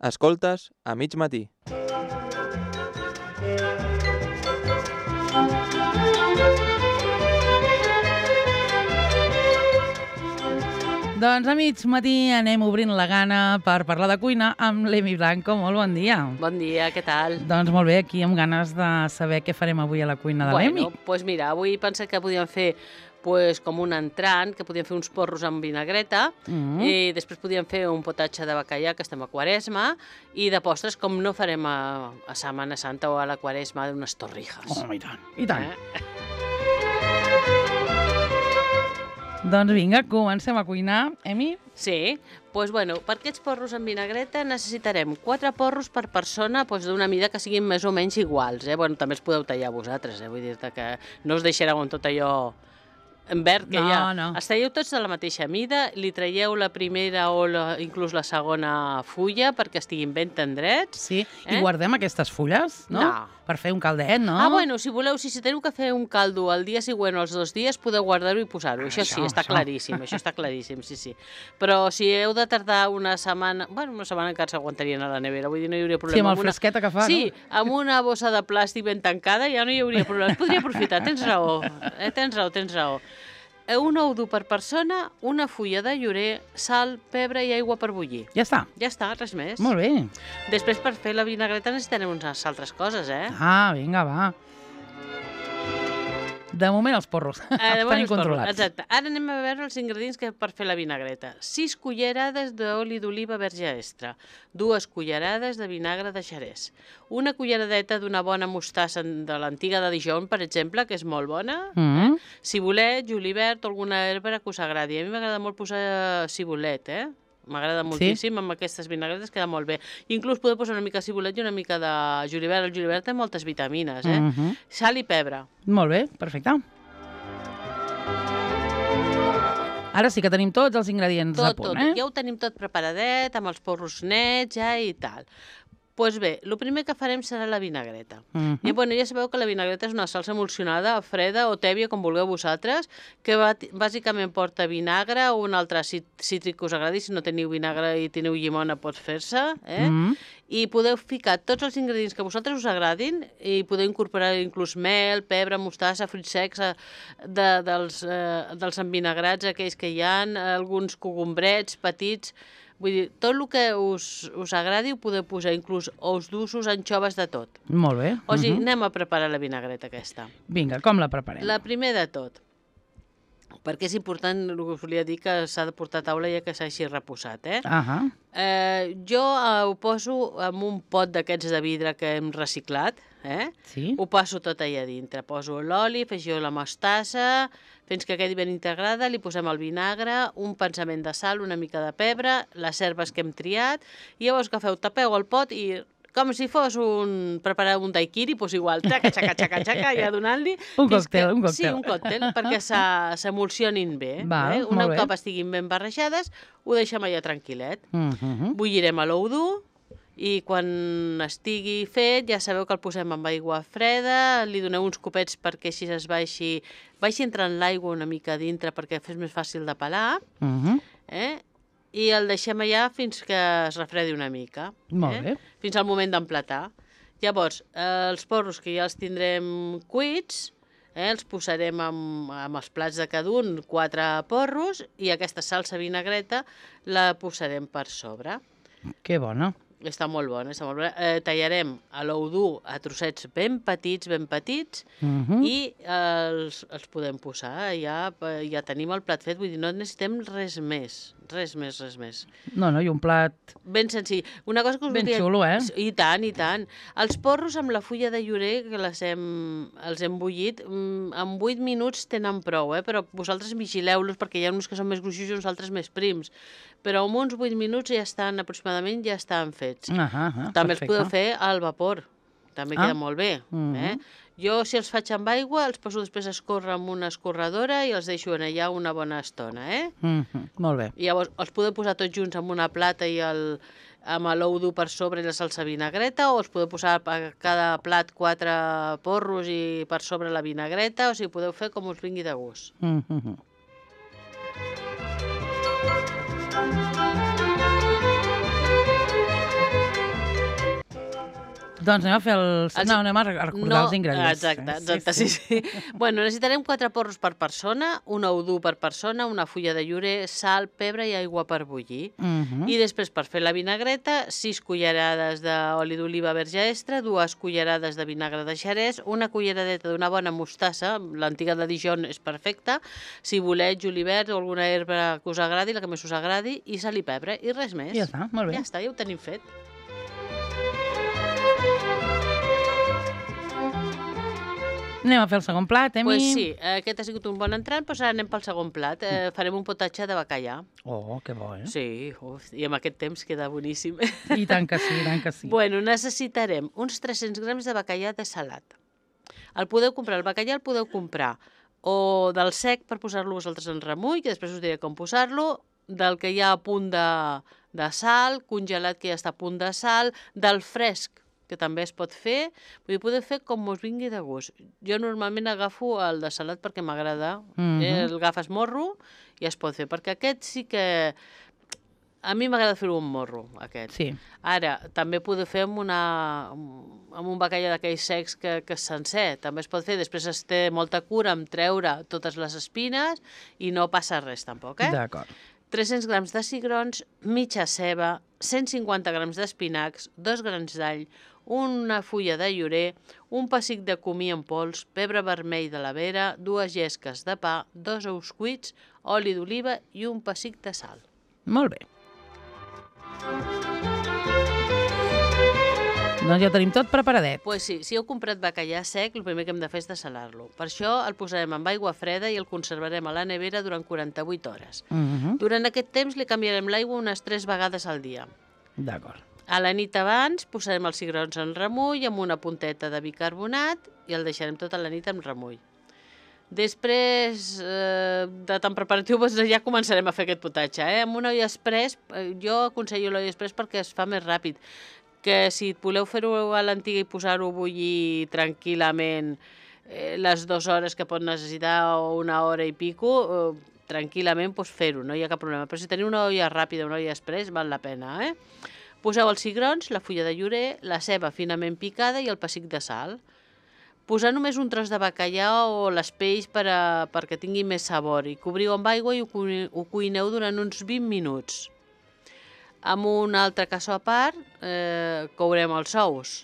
Escoltes a mig matí. Doncs a mig matí anem obrint la gana per parlar de cuina amb l'Emi Blanco. Molt bon dia. Bon dia, què tal? Doncs molt bé, aquí amb ganes de saber què farem avui a la cuina de l'Emi. Doncs mira, avui pensé que podíem fer com un entrant, que podíem fer uns porros amb vinagreta, i després podíem fer un potatge de bacallà, que estem a Quaresma, i de postres, com no farem a Setmana Santa o a la Quaresma, d'unes torrijas. Oh, i tant, i tant. Doncs vinga, comencem a cuinar. Emi? Sí, doncs per aquests porros amb vinagreta necessitarem 4 porros per persona d'una mida que siguin més o menys iguals. També els podeu tallar vosaltres, vull dir-te que no us deixareu amb tot allò en verd que hi ha. No. Els talleu tots de la mateixa mida, li traieu la primera o inclús la segona fulla perquè estiguin ben tendrets. Sí, i guardem aquestes fulles, no? Per fer un caldet, no? Si voleu, si teniu que fer un caldo el dia següent o els 2 dies, podeu guardar-ho i posar-ho. Això sí, està claríssim, sí. Però si heu de tardar una setmana... una setmana encara s'aguantarien a la nevera, vull dir, no hi hauria problema. Sí, amb el fresqueta que fa, no? Sí, amb una bossa de plàstic ben tancada ja no hi hauria problema. Es podria aprofitar, tens raó. Tens raó. Un ou dur per persona, una fulla de llorer, sal, pebre i aigua per bullir. Ja està? Ja està, res més. Molt bé. Després, per fer la vinagreta necessitarem unes altres coses, Vinga, va. De moment els porros estan incontrolats. Exacte. Ara anem a veure els ingredients per fer la vinagreta. 6 cullerades d'oli d'oliva verge extra, 2 cullerades de vinagre de xerès, una culleradeta d'una bona mostassa de l'antiga de Dijon, per exemple, que és molt bona. Cibulet, julivert o alguna herba que us agradi. A mi m'agrada molt posar cibulet, M'agrada moltíssim, amb aquestes vinagretes queda molt bé. Inclús podeu posar una mica de cibulet i una mica de julivert. El julivert té moltes vitamines, Sal i pebre. Molt bé, perfecte. Ara sí que tenim tots els ingredients a punt, Ja ho tenim tot preparadet, amb els porros nets i tal. Doncs bé, el primer que farem serà la vinagreta. Ja sabeu que la vinagreta és una salsa emulsionada, freda o tèbia, com vulgueu vosaltres, que bàsicament porta vinagre o un altre cítric que us agradi. Si no teniu vinagre i teniu llimona, pot fer-se. I podeu ficar tots els ingredients que a vosaltres us agradin i podeu incorporar inclús mel, pebre, mostassa, fruits secs, dels envinagrats, aquells que hi ha, alguns cogombrets petits. Vull dir, tot el que us agradi ho podeu posar, inclús ous dulços, anxoves, de tot. Molt bé. O sigui, anem a preparar la vinagreta aquesta. Vinga, com la preparem? La primer de tot, perquè és important, el que us volia dir, que s'ha de portar a taula ja que s'hagi reposat, Jo ho poso en un pot d'aquests de vidre que hem reciclat, Sí. Ho passo tot allà dintre. Poso l'oli, afegeixo la mostassa, fins que quedi ben integrada, li posem el vinagre, un pensament de sal, una mica de pebre, les herbes que hem triat, i llavors agafeu, tapeu el pot i com si fos preparar un daiquiri, doncs igual, xaca, ja donant-li... Un còctel. Sí, un còctel, perquè s'emulsionin bé. Un cop estiguin ben barrejades, ho deixem allà tranquil·let. Bullirem a l'ou dur, i quan estigui fet ja sabeu que el posem amb aigua freda, li doneu uns copets perquè així vagi entrant l'aigua una mica dintre perquè fes més fàcil de pelar, i el deixem allà fins que es refredi una mica. Molt bé. Fins al moment d'emplatar. Llavors, els porros que ja els tindrem cuits, els posarem amb els plats de cada un, 4 porros, i aquesta salsa vinagreta la posarem per sobre. Que bona. Està molt bona, tallarem l'ou dur a trossets ben petits, i els podem posar. Ja tenim el plat fet, vull dir, no necessitem res més. No, i un plat... Ben senzill. Una cosa que us ben xulo, I tant. Els porros amb la fulla de llorer, que els hem bullit, en 8 minuts tenen prou, però vosaltres vigileu-los perquè hi ha uns que són més gruixos i uns altres més prims. Però en uns 8 minuts aproximadament ja estan fets. També els podeu fer al vapor. També queda molt bé. Jo, si els faig amb aigua, els poso després a escórrer amb una escorredora i els deixo allà una bona estona, Molt bé. I llavors els podeu posar tots junts en una plata i amb l'ou dur per sobre i la salsa vinagreta, o els podeu posar a cada plat 4 porros i per sobre la vinagreta, o sigui, podeu fer com us vingui de gust. Doncs anem a fer anem a recordar els ingredients. Exacte, sí. Bueno, necessitarem 4 porros per persona, un ou dur per persona, una fulla de llorer, sal, pebre i aigua per bullir. I després, per fer la vinagreta, 6 cullerades d'oli d'oliva verge extra, 2 cullerades de vinagre de xerès, una culleradeta d'una bona mostassa, l'antiga de Dijon és perfecta, cibulet, julivert o alguna herba que us agradi, la que més us agradi, i sal i pebre, i res més. Ja està, molt bé. Ja està, ja ho tenim fet. Anem a fer el segon plat, Emi? Pues sí, aquest ha sigut un bon entrant, doncs ara anem pel segon plat. Farem un potatge de bacallà. Oh, que bo, eh? Sí, i amb aquest temps queda boníssim. I tant que sí, i tant que sí. Bueno, necessitarem uns 300 grams de bacallà de salat. El bacallà el podeu comprar o del sec per posar-lo vosaltres en remull, que després us diré com posar-lo, del que hi ha a punt de sal, congelat que ja està a punt de sal, del fresc, que també es pot fer. Vull dir, podeu fer com us vingui de gust. Jo normalment agafo el de salat perquè m'agrada. El agafes morro i es pot fer, perquè aquest sí que... A mi m'agrada fer-ho amb morro, aquest. Sí. Ara, també podeu fer amb un bacallà d'aquells secs que és sencer. També es pot fer. Després es té molta cura en treure totes les espines i no passa res tampoc, eh? D'acord. 300 grams de cigrons, mitja ceba, 150 grams d'espinacs, 2 grans d'all, una fulla de llorer, un pessic de comí en pols, pebre vermell de la vera, 2 llesques de pa, 2 ous cuits, oli d'oliva i un pessic de sal. Molt bé. Doncs ja ho tenim tot preparadet. Pues sí, si heu comprat bacallà sec, el primer que hem de fer és dessalar-lo. Per això el posarem amb aigua freda i el conservarem a la nevera durant 48 hores. Durant aquest temps li canviarem l'aigua unes 3 vegades al dia. D'acord. A la nit abans posarem els cigrons en remull amb una punteta de bicarbonat i el deixarem tota la nit en remull. Després de tan preparatiu ja començarem a fer aquest potatge. Amb un oli express, jo aconsello l'oli express perquè es fa més ràpid. Que si voleu fer-ho a l'antiga i posar-ho a bullir tranquil·lament les 2 hores que pot necessitar o 1 hora i pico, tranquil·lament fer-ho, no hi ha cap problema. Però si teniu una olla ràpida, una olla express, val la pena, Poseu els cigrons, la fulla de llorer, la ceba finament picada i el pessic de sal. Posar només un tros de bacallà o les peix perquè tingui més sabor i cobriu amb aigua i ho cuineu durant uns 20 minuts. Amb un altre cassó a part, courem els ous.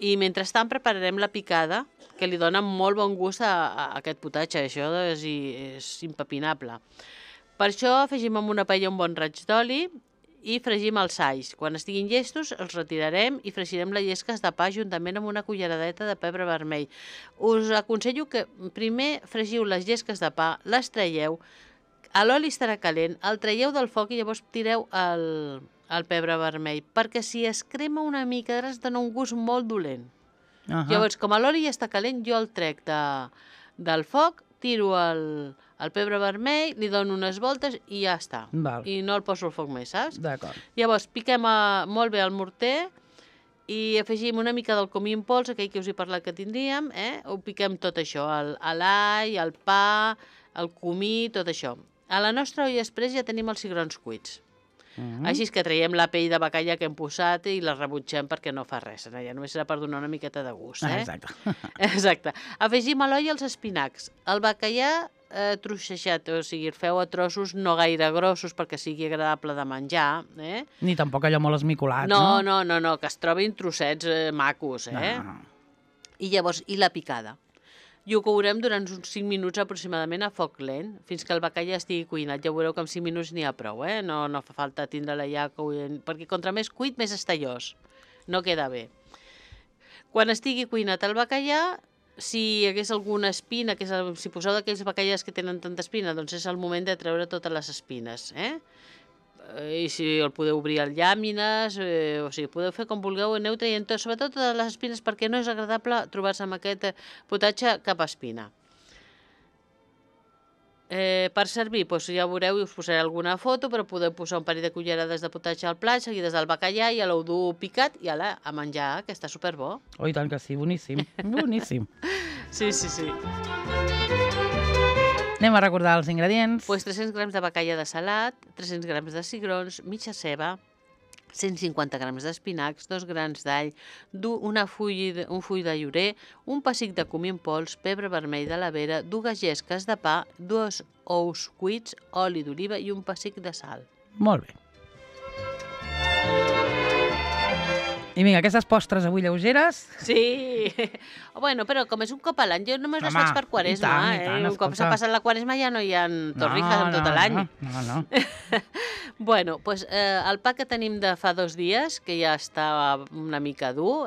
I mentrestant prepararem la picada, que li dona molt bon gust a aquest potatge. Això és impepinable. Per això afegim amb una paella un bon raig d'oli i fregim els alls. Quan estiguin llestos els retirarem i fregirem les llesques de pa juntament amb una culleradeta de pebre vermell. Us aconsello que primer fregiu les llesques de pa, les traieu, l'oli estarà calent, el traieu del foc i llavors tireu el pebre vermell, perquè si es crema una mica es dona un gust molt dolent. Llavors, com l'oli ja està calent, jo el trec del foc, tiro el pebre vermell, li dono unes voltes i ja està. I no el poso al foc més, saps? D'acord. Llavors, piquem molt bé el morter i afegim una mica del comí en pols, aquell que us he parlat que tindríem, ho piquem tot això, l'all, el pa, el comí, tot això. A la nostra olla express ja tenim els cigrons cuits. Així que traiem la pell de bacallà que hem posat i la rebutgem perquè no fa res. Ja només serà per donar una miqueta de gust. Exacte. Afegim a l'olla els espinacs. El bacallà trossejat, o sigui, el feu a trossos no gaire grossos perquè sigui agradable de menjar. Ni tampoc allò molt esmicolat, no? No, que es trobin trossets macos. I llavors, i la picada. I ho courem durant uns 5 minuts aproximadament a foc lent, fins que el bacallà estigui cuinat. Ja veureu que en 5 minuts n'hi ha prou, no fa falta tindre-la ja cuint, perquè contra més cuit, més estallós. No queda bé. Quan estigui cuinat el bacallà, si hi hagués alguna espina, si poseu d'aquells bacallars que tenen tanta espina, doncs és el moment de treure totes les espines, I si el podeu obrir a llàmines, o sigui, podeu fer com vulgueu, aneu traient tot, sobretot totes les espines, perquè no és agradable trobar-se amb aquest potatge cap espina. Per servir, doncs ja veureu, us posaré alguna foto, però podeu posar un parell de cullerades de potatge al plat, seguides del bacallà i l'ou dur picat, i ala, a menjar, que està superbo. Oh, i tant que sí, boníssim, boníssim. Sí. Anem a recordar els ingredients. Pues 300 grams de bacallà de salat, 300 grams de cigrons, mitja ceba, 150 grams d'espinacs, 2 grans d'all, un full de llorer, un pessic de comí en pols, pebre vermell de la vera, 2 llesques de pa, 2 ous cuits, oli d'oliva i un pessic de sal. Molt bé. I vinga, aquestes postres avui lleugeres... Sí, bueno, però com és un cop a l'any, jo només les faig per Quaresma. i tant, Un cop s'ha passat la Quaresma ja no hi ha torrijas en tot l'any. No. Bueno, doncs el pa que tenim de fa 2 dies, que ja està una mica dur,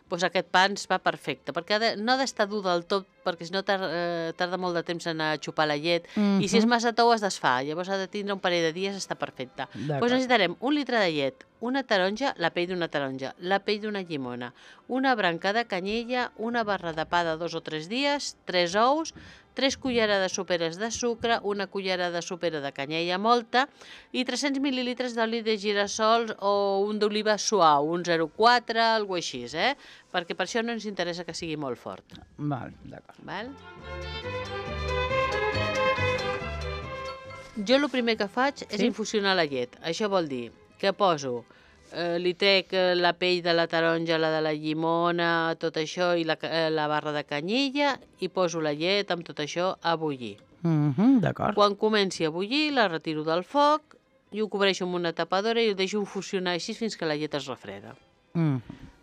doncs aquest pa ens va perfecte, perquè no ha d'estar dur del tot, perquè si no tarda molt de temps en xupar la llet, i si és massa tou es desfà, llavors ha de tindre un parell de dies, està perfecte. Doncs necessitarem 1 litre de llet, una taronja, la pell d'una taronja, la pell d'una llimona, una branca de canyella, una barra de pa de 2 o 3 dies, 3 ous, 3 cullerades soperes de sucre, una cullerada sopera de canyella molta i 300 mil·lilitres d'oli de girassol o un d'oliva suau, un 0,4, alguna així, perquè per això no ens interessa que sigui molt fort. Val, d'acord. Val? Jo el primer que faig és infusionar la llet. Això vol dir que poso, li trec la pell de la taronja, la de la llimona, tot això, i la barra de canyella, i poso la llet amb tot això a bullir. D'acord. Quan comenci a bullir, la retiro del foc i ho cobreixo amb una tapadora i ho deixo infusionar així fins que la llet es refreda.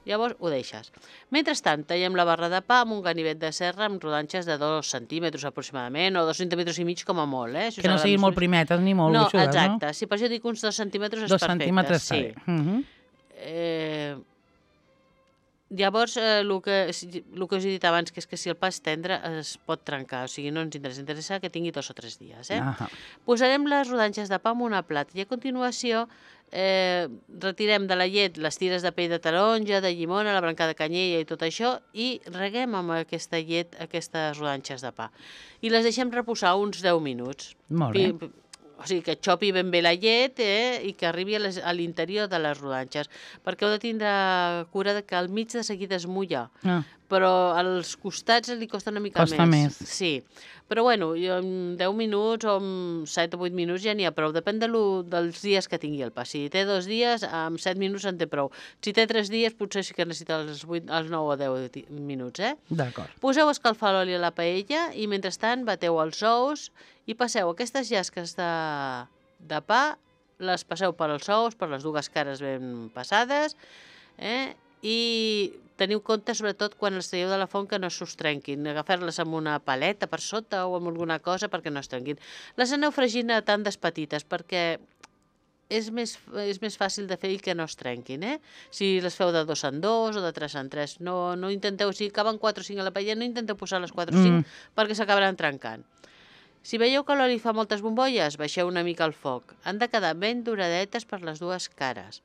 Llavors ho deixes. Mentrestant, tallem la barra de pa amb un ganivet de serra amb rodanxes de 2 centímetres aproximadament, o 2 centímetres i mig com a molt. Que no siguin molt primetes ni molt gruixudes, no? Exacte. Si per això dic uns 2 centímetres és perfecte. 2 centímetres, sí. Llavors, el que us he dit abans, que és que si el pa és tendre es pot trencar, o sigui, no ens interessa que tingui 2 o 3 dies. Posarem les rodanxes de pa en una plata i a continuació retirem de la llet les tires de pell de taronja, de llimona, la branca de canyella i tot això, i reguem amb aquesta llet aquestes rodanxes de pa. I les deixem reposar uns 10 minuts. Molt bé. O sigui, que xopi ben bé la llet i que arribi a l'interior de les rodanxes, perquè heu de tindre cura que al mig de seguida es mulla, però als costats li costa una mica Costa més. Sí, però bueno, en 10 minuts o en 7 o 8 minuts ja n'hi ha prou, depèn dels dies que tingui el pa. Si té 2 dies, amb 7 minuts en té prou. Si té 3 dies, potser sí que necessita els 9 o 10 minuts, D'acord. Poseu a escalfar l'oli a la paella i mentrestant bateu els ous i passeu aquestes llasques de pa, les passeu per als ous, per les 2 cares ben passades, i teniu compte, sobretot, quan les traieu de la font, que no s'us trenquin. Agafar-les amb una paleta per sota o amb alguna cosa perquè no es trenquin. Les aneu fregint a tandes petites perquè és més fàcil de fer i que no es trenquin. Si les feu de 2 en 2 o de 3 en 3, no intenteu, si caben 4 o 5 a la paella, no intenteu posar les 4 o 5 perquè s'acabaran trencant. Si veieu que l'oli fa moltes bombolles, baixeu una mica el foc. Han de quedar ben doradetes per les 2 cares.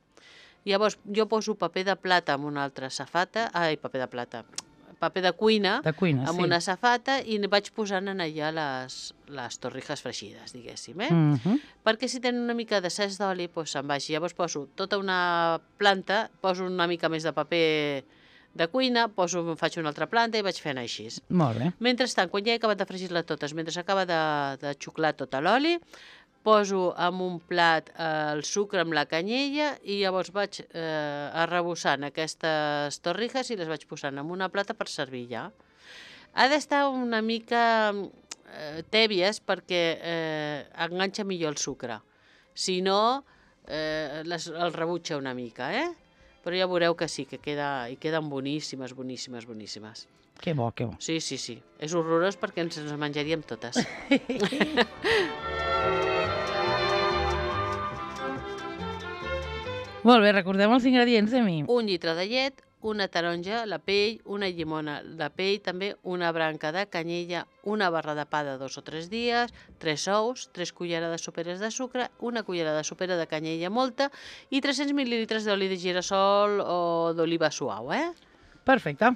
Llavors, jo poso paper de plata amb una altra safata, paper de cuina amb una safata i vaig posant en allà les torrijas fregides, diguéssim. Perquè si tenen una mica d'excés d'oli, se'n baixi. Llavors poso tota una planta, poso una mica més de paper de cuina, faig una altra planta i vaig fent així. Molt bé. Mentrestant, quan ja he acabat de fregir-la totes, mentre s'acaba de xuclar tot l'oli, poso en un plat el sucre amb la canyella i llavors vaig arrebossant aquestes torrijas i les vaig posant en una plata per servir ja. Ha d'estar una mica tèbies perquè enganxa millor el sucre. Si no, el rebutja una mica, però ja veureu que sí, que queden boníssimes, boníssimes, boníssimes. Que bo, que bo. Sí. És horrorós perquè ens les menjaríem totes. Molt bé, recordem els ingredients, Emi. 1 litre de llet, una taronja, la pell, una llimona, la pell, també una branca de canyella, una barra de pa de 2 o 3 dies, 3 ous, 3 cullerades soperes de sucre, una cullerada sopera de canyella molta i 300 mil·lilitres d'oli de girassol o d'oliva suau, Perfecte.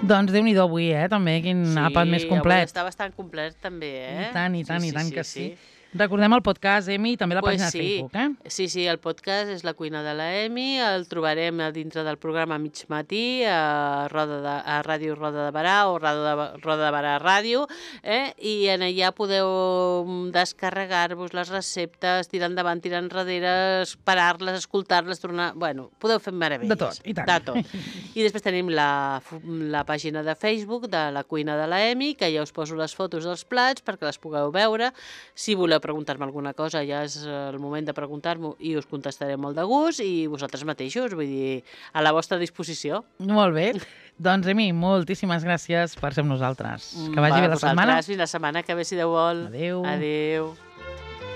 Doncs Déu-n'hi-do avui, també, quin àpat més complet. Sí, està bastant complet també, I tant que sí. Recordem el podcast, Emi, i també la Pues pàgina sí. de Facebook, eh? Sí, el podcast és La cuina de la Emi, el trobarem a dintre del programa Mig Matí, a Ràdio Roda de Barà o Roda de Barà Ràdio, i en allà podeu descarregar-vos les receptes, tirar endavant, tirar enrere, parar-les, escoltar-les, tornar... Bueno, podeu fer meravelles. De tot, i tant. De tot. I després tenim la pàgina de Facebook de La cuina de la Emi, que ja us poso les fotos dels plats perquè les pugueu veure. Si voleu preguntar-me alguna cosa, ja és el moment de preguntar-m'ho i us contestaré molt de gust i vosaltres mateixos, vull dir, a la vostra disposició. Molt bé. Doncs, Emi, moltíssimes gràcies per ser amb nosaltres. Que vagi bé la setmana. Fins la setmana que ve, si Déu vol. Adéu. Adéu.